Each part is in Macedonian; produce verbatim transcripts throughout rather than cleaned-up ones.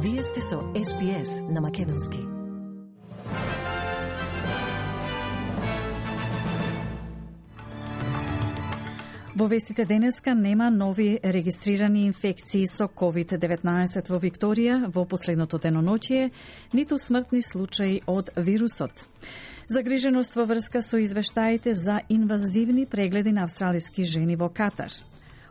Вие сте со Ес Би Ес на македонски. Во вестите денеска нема нови регистрирани инфекции со ковид деветнаесет во Викторија во последното деноноќие, ниту смртни случаи од вирусот. Загриженост во врска со извештаите за инвазивни прегледи на австралиски жени во Катар.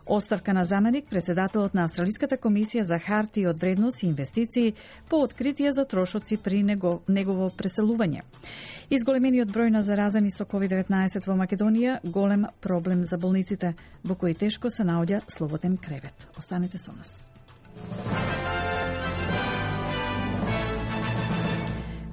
Оставка на заменик председателот на Австралиската комисија за хартии од вредност и инвестиции по откритие за трошоци при него, негово преселување. Изголемениот број на заразени со ковид деветнаесет во Македонија голем проблем за болниците, во кои тешко се наоѓа слободен кревет. Останете со нас.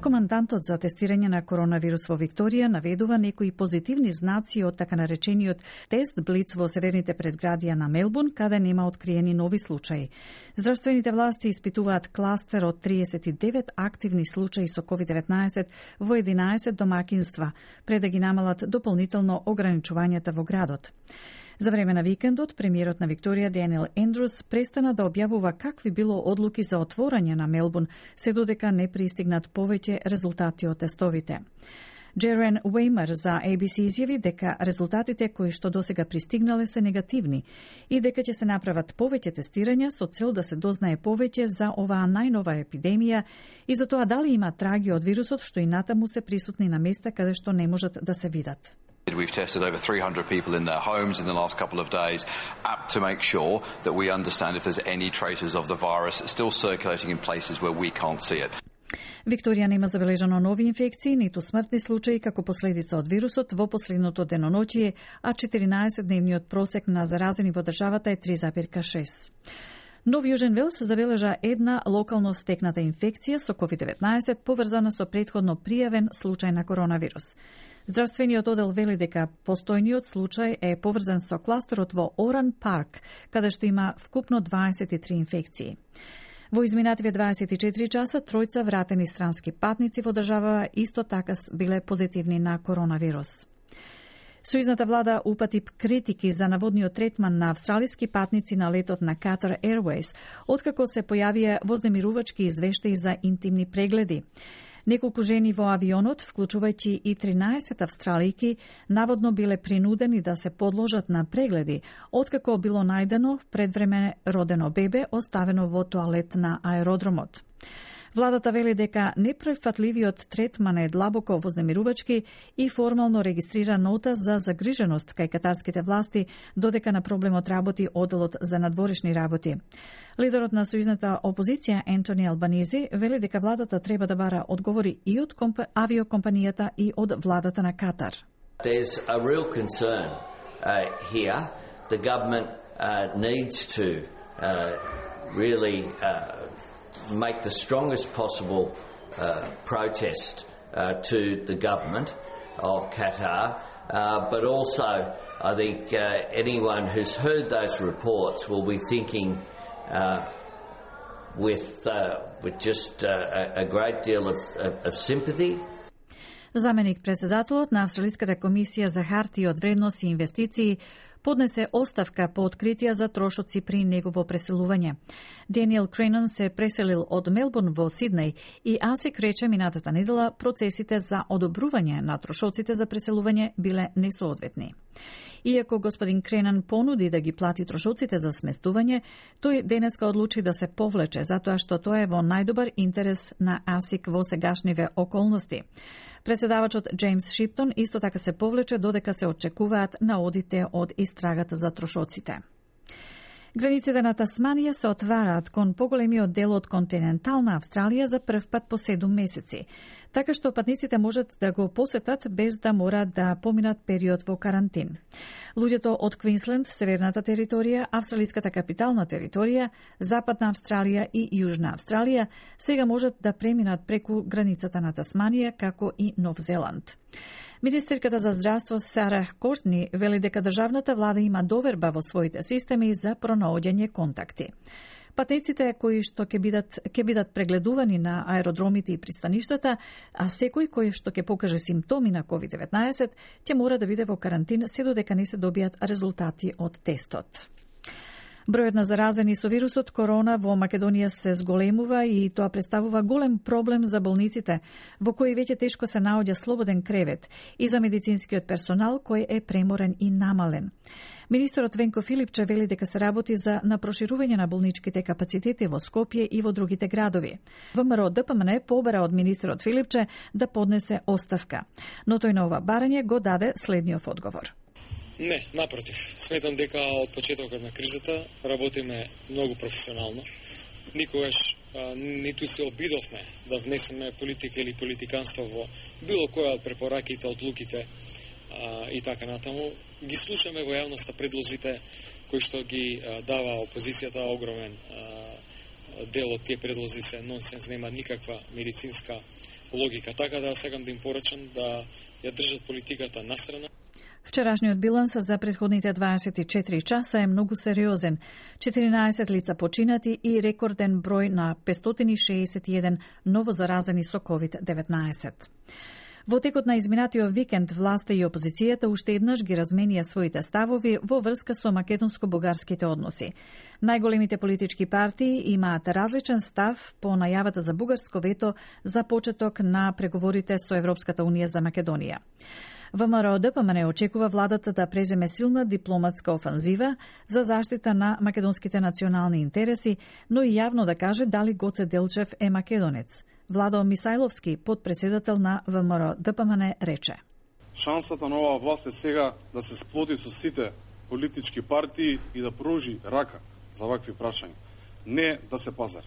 Командантот за тестирање на коронавирус во Викторија наведува некои позитивни знаци од така наречениот тест Блиц во северните предградија на Мелбурн, каде нема откриени нови случаи. Здравствените власти испитуваат кластер од триесет и девет активни случаи со ковид деветнаесет во единаесет домакинства, пред да ги намалат дополнително ограничувањата во градот. За време на викендот, премиерот на Викторија Даниел Ендрус престана да објавува какви било одлуки за отворање на Мелбурн, се додека не пристигнат повеќе резултати од тестовите. Джерен Уеймер за Ей Би Си изјави дека резултатите кои што досега пристигнале се негативни и дека ќе се направат повеќе тестирања со цел да се дознае повеќе за оваа најнова епидемија и за тоа дали има траги од вирусот што и натаму се присутни на места каде што не можат да се видат. We've tested over three hundred people in their homes in the last couple of days to make sure that we understand if there's any traces of the virus still circulating in places where we can't see it. Викторија нема забележано нови инфекции, ниту смртни случаи како последица од вирусот во последното деноноќие, а четиринаесетдневниот просек на заразени во државата е три запирка шест. Но во Јужен Велс забележа една локално стекната инфекција со ковид деветнаесет поврзана со претходно пријавен случај на коронавирус. Здравствениот одел вели дека постојниот случај е поврзан со кластерот во Оран Парк, каде што има вкупно дваесет и три инфекции. Во изминативе дваесет и четири часа, тројца вратени странски патници во држава исто така биле позитивни на коронавирус. Сојузната влада упати критики за наводниот третман на австралиски патници на летот на Qatar Airways, откако се појавија вознемирувачки извештаи за интимни прегледи. Неколку жени во авионот, вклучувајќи и тринаесет австралијки, наводно биле принудени да се подложат на прегледи, откако било најдено предвреме родено бебе оставено во тоалет на аеродромот. Владата вели дека неприфатливиот третман е длабоко вознемирувачки и формално регистрира нота за загриженост кај катарските власти, додека на проблемот работи одделот за надворешни работи. Лидерот на сојузната опозиција Ентони Албанизи вели дека владата треба да бара одговори и од авиокомпанијата и од владата на Катар. There's a real concern uh, here. The government uh, needs to uh, really uh, make the strongest possible uh, protest uh, to the government of Qatar, uh, but also I think uh, anyone who's heard those reports will be thinking uh, with uh, with just uh, a great deal of, of, of sympathy. Заменик председателот на Австралиската комисија за хартии од вредност и инвестиции поднесе оставка по откритија за трошоци при негово преселување. Даниел Кренан се преселил од Мелбурн во Сиднеј и АСИК рече минатата недела процесите за одобрување на трошоците за преселување биле несоодветни. Иако господин Кренан понуди да ги плати трошоците за сместување, тој денеска одлучи да се повлече, затоа што тоа е во најдобар интерес на АСИК во сегашниве околности. Преседавачот Джеймс Шиптон исто така се повлече додека се очекуваат наодите од истрагата за трошоците. Границите на Тасманија се отвараат кон поголемиот дел од континентална Австралија за прв пат по седум месеци, така што патниците можат да го посетат без да морат да поминат период во карантин. Луѓето од Квинсленд, Северната територија, Австралиската капитална територија, Западна Австралија и Јужна Австралија сега можат да преминат преку границата на Тасманија како и Нов Зеланд. Министерката за здравство Сара Кортни вели дека државната влада има доверба во своите системи за пронаоѓање контакти. Патниците кои што ќе бидат ќе бидат прегледувани на аеродромите и пристаништата, а секој кој што ќе покаже симптоми на ковид деветнаесет ќе мора да биде во карантин се додека не се добијат резултати од тестот. Бројот на заразени со вирусот корона во Македонија се зголемува и тоа представува голем проблем за болниците, во кои веќе тешко се наоѓа слободен кревет, и за медицинскиот персонал кој е преморен и намален. Министерот Венко Филипче вели дека се работи за на проширување на болничките капацитети во Скопје и во другите градови. ВМРО Д П М Н побара од министерот Филипче да поднесе оставка, но тој на ова барање го даде следниот одговор. Не, напротив. Сметам дека од почетокот на кризата работиме многу професионално. Никогаш а, ниту се обидовме да внесеме политика или политиканство во било која од препораките, одлуките а, и така натаму. Ги слушаме во јавноста предлозите кои што ги а, дава опозицијата, огромен а, дел од тие предлози се нонсенс, нема никаква медицинска логика. Така да сакам да им порачам да ја држат политиката настрана. Вчерашниот биланс за претходните дваесет и четири часа е многу сериозен. четиринаесет лица починати и рекорден број на петстотини и шеесет и еден новозаразени со ковид деветнаесет. Во текот на изминатиот викенд, власта и опозицијата уште еднаш ги разменија своите ставови во врска со македонско-бугарските односи. Најголемите политички партии имаат различен став по најавата за бугарско вето за почеток на преговорите со Европската унија за Македонија. ВМРО Д П М Н очекува владата да преземе силна дипломатска офанзива за заштита на македонските национални интереси, но и јавно да каже дали Гоце Делчев е македонец. Владо Мисајловски, подпредседател на ВМРО Д П М Н, рече: Шансата на оваа власт е сега да се сплоти со сите политички партии и да пружи рака за вакви прашања. Не да се пазар.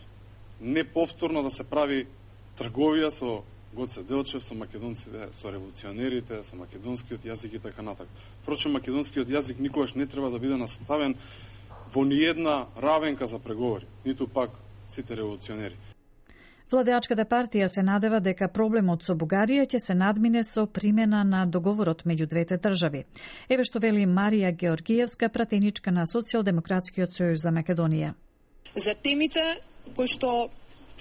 Не повторно да се прави трговија со Гоце Делчев, со македонците, со револуционерите, со македонскиот јазик и така натаму. Впрочем, македонскиот јазик никогаш не треба да биде наставен во ниедна равенка за преговори, ниту пак сите револуционери. Владеачката партија се надева дека проблемот со Бугарија ќе се надмине со примена на договорот меѓу двете држави. Еве што вели Марија Георгиевска, пратеничка на Социјалдемократскиот сојуз за Македонија. За темите кои што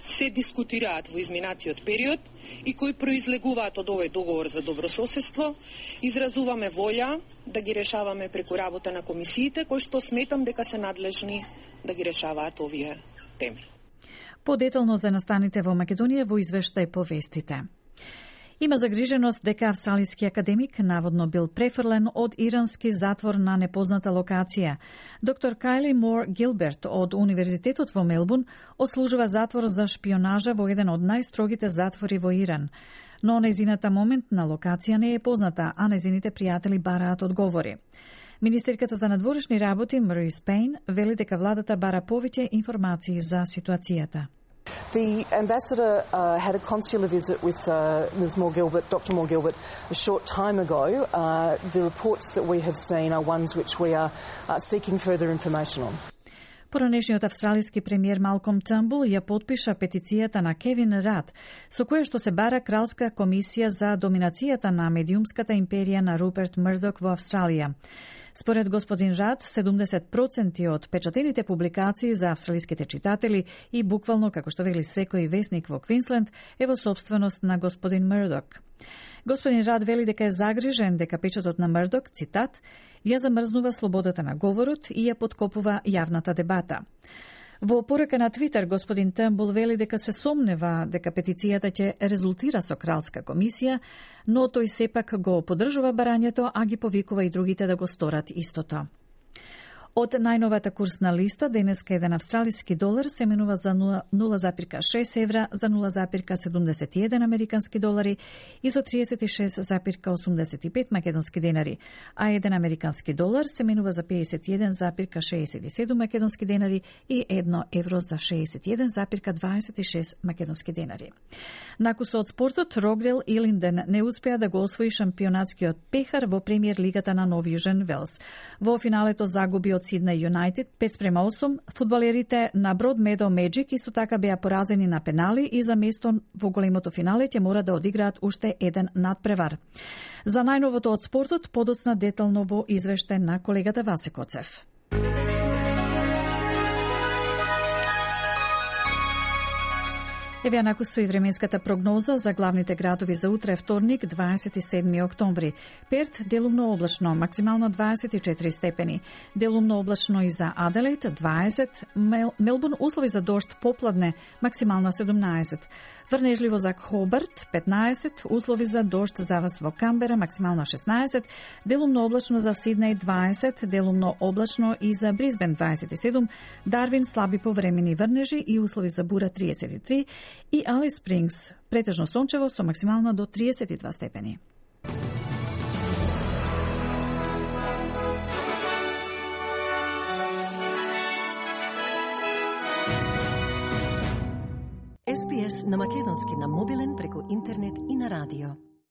се дискутираат во изминатиот период и кои произлегуваат од овој договор за добрососедство, изразуваме волја да ги решаваме преку работа на комисиите, кои што сметам дека се надлежни да ги решаваат овие теми. Подетално за настаните во Македонија во извештај по вестите. Има загриженост дека австралиски академик наводно бил префрлен од ирански затвор на непозната локација. Доктор Кайли Мор Гилберт од Универзитетот во Мелбурн отслужува затвор за шпионажа во еден од најстрогите затвори во Иран. Но незината моментна локација не е позната, а незините пријатели бараат одговори. Министерката за надворешни работи Марис Пейн вели дека владата бара повеќе информации за ситуацијата. The ambassador uh, had a consular visit with uh, Miz Moore Gilbert, Doctor Moore Gilbert, a short time ago. Uh, the reports that we have seen are ones which we are uh, seeking further information on. Поранешниот австралиски премиер Малком Търнбул ја подпиша петицијата на Кевин Рад, со која што се бара кралска комисија за доминацијата на медиумската империја на Руперт Мрдок во Австралија. Според господин Рад, седумдесет проценти од печатените публикации за австралиските читатели и буквално, како што вели секој весник во Квинсленд, е во собственост на господин Мрдок. Господин Рад вели дека е загрижен дека печатот на Мрдок, цитат, ја замрзнува слободата на говорот и ја подкопува јавната дебата. Во порака на Твитер, господин Търнбул вели дека се сомнева дека петицијата ќе резултира со кралска комисија, но тој сепак го поддржува барањето, а ги повикува и другите да го сторат истото. Од најновата курсна листа, денеска еден австралиски долар се менува за нула запирка шест евра, за нула запирка седумдесет и еден американски долари и за триесет и шест запирка осумдесет и пет македонски денари, а еден американски долар се менува за пеесет и еден запирка шеесет и седум македонски денари и едно евро за шеесет и еден запирка дваесет и шест македонски денари. Накусо од спортот, Рокдел Илинден не успеа да го освои шампионатскиот пехар во премиер лигата на Нов Јужен Велс. Во финалето загуби од Сиднеј Юнайтед пет спрема осум, фудбалерите на Брод Медо Меджик исто така беа поразени на пенали и за место во големото финале ќе мора да одиграат уште еден надпревар. За најновото од спортот подоцна детално во извештај на колегата Васе Коцев. Еве анаку со и временската прогноза за главните градови за утре вторник, дваесет и седми октомври. Перт делумно облачно, максимално дваесет и четири степени. Делумно облачно и за Аделаид дваесет, Мел, Мелбурн услови за дожд попладне, максимално седумнаесет. Врнежливо за Хобарт петнаесет, услови за дожд заврс во Камбера, максимално шеснаесет, делумно облачно за Сиднеј дваесет, делумно облачно и за Брисбен дваесет и седум, Дарвин слаби повремени врнежи и услови за бура триесет и три и Алис Спрингс претежно сончево со максимално до триесет и два степени. Ес Би Ес на македонски на мобилен преку интернет и на радио.